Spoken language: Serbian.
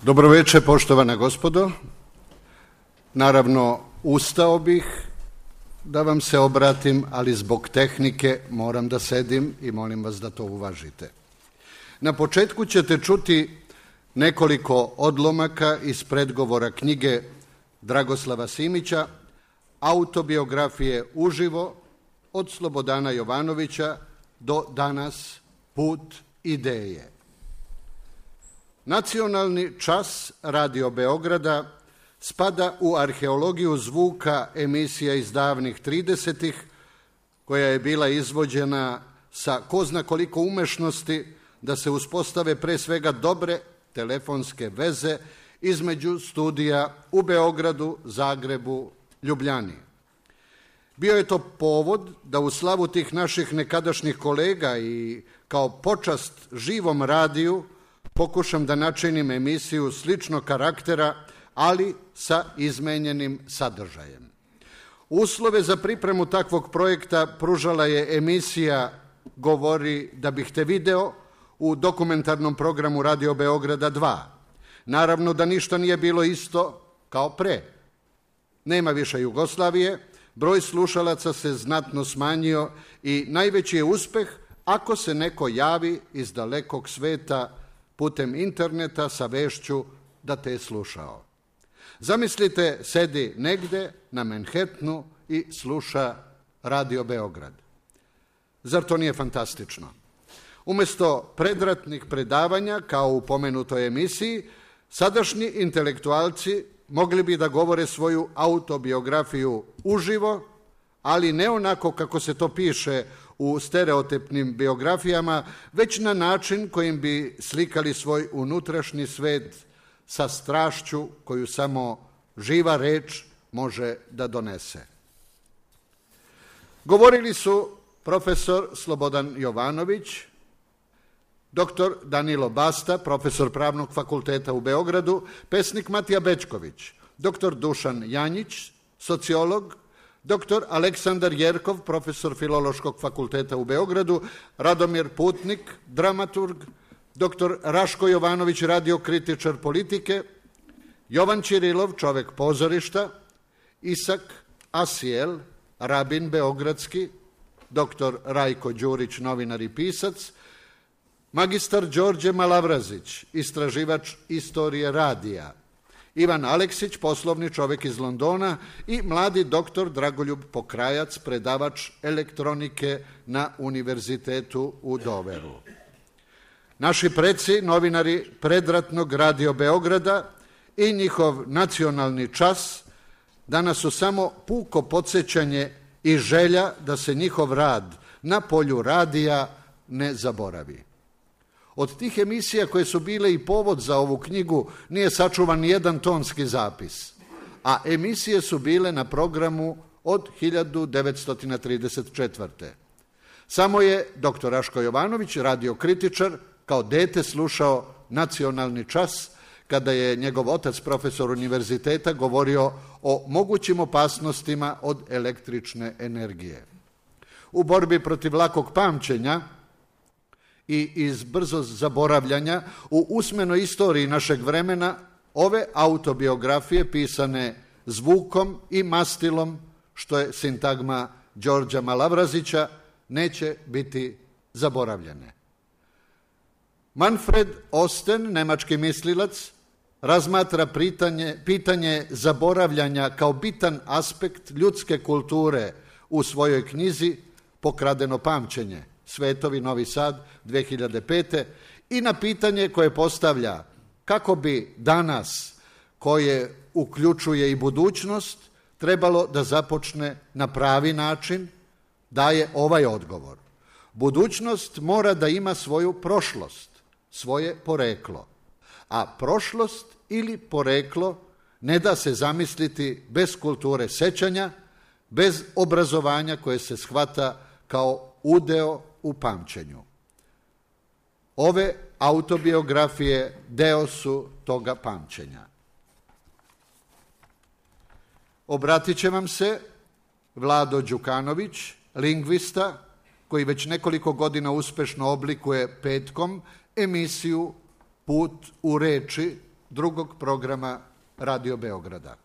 Dobro večer, poštovana gospodo. Naravno, ustao bih da vam se obratim, ali zbog tehnike moram da sedim i molim vas da to uvažite. Na početku ćete čuti nekoliko odlomaka iz predgovora knjige Dragoslava Simića, autobiografije uživo od Slobodana Jovanovića do danas Put ideje. Nacionalni čas Radio Beograda spada u arheologiju zvuka emisija iz davnih 30-ih, koja je bila izvođena sa ko zna koliko umešnosti da se uspostave pre svega dobre telefonske veze između studija u Beogradu, Zagrebu, Ljubljani. Bio je to povod da u slavu tih naših nekadašnjih kolega i kao počast živom radiju pokušam da načinim emisiju sličnog karaktera, ali sa izmenjenim sadržajem. Uslove za pripremu takvog projekta pružala je emisija Govori da bih te video u dokumentarnom programu Radio Beograda 2. Naravno da ništa nije bilo isto kao pre. Nema više Jugoslavije, broj slušalaca se znatno smanjio i najveći je uspeh ako se neko javi iz dalekog sveta putem interneta sa vešću da te je slušao. Zamislite, sedi negde na Manhattanu i sluša Radio Beograd. Zar to nije fantastično? Umesto predratnih predavanja, kao u pomenutoj emisiji, sadašnji intelektualci mogli bi da govore svoju autobiografiju uživo, ali ne onako kako se to piše u stereotipnim biografijama, već na način kojim bi slikali svoj unutrašnji svet sa strašću koju samo živa reč može da donese. Govorili su profesor Slobodan Jovanović, doktor Danilo Basta, profesor Pravnog fakulteta u Beogradu, pesnik Matija Bećković, doktor Dušan Janjić, sociolog, doktor Aleksandar Jerkov, profesor Filološkog fakulteta u Beogradu, Radomir Putnik, dramaturg, doktor Raško Jovanović, radiokritičar politike, Jovan Ćirilov, čovek pozorišta, Isak Asijel, rabin beogradski, doktor Rajko Đurić, novinar i pisac, magistar Đorđe Malavrazić, istraživač istorije radija, Ivan Aleksić, poslovni čovek iz Londona i mladi doktor Dragoljub Pokrajac, predavač elektronike na Univerzitetu u Doveru. Naši preci, novinari predratnog Radio Beograda i njihov nacionalni čas danas su samo puko podsjećanje i želja da se njihov rad na polju radija ne zaboravi. Od tih emisija koje su bile i povod za ovu knjigu nije sačuvan nijedan tonski zapis, a emisije su bile na programu od 1934. Samo je dr. Raško Jovanović, radiokritičar, kao dete slušao nacionalni čas kada je njegov otac, profesor univerziteta, govorio o mogućim opasnostima od električne energije. U borbi protiv lakog pamćenja i iz brzo zaboravljanja u usmenoj istoriji našeg vremena ove autobiografije pisane zvukom i mastilom, što je sintagma Đorđa Malavrazića, neće biti zaboravljene. Manfred Osten, nemački mislilac, razmatra pitanje zaboravljanja kao bitan aspekt ljudske kulture u svojoj knjizi Pokradeno pamćenje, Svetovi, Novi Sad, 2005. i na pitanje koje postavlja kako bi danas, koje uključuje i budućnost, trebalo da započne na pravi način, daje ovaj odgovor. Budućnost mora da ima svoju prošlost, svoje poreklo, a prošlost ili poreklo ne da se zamisliti bez kulture sećanja, bez obrazovanja koje se shvata kao udeo u pamćenju. Ove autobiografije deo su toga pamćenja. Obratit će vam se Vlado Đukanović, lingvista, koji već nekoliko godina uspešno oblikuje petkom emisiju Put u reči drugog programa Radio Beograda.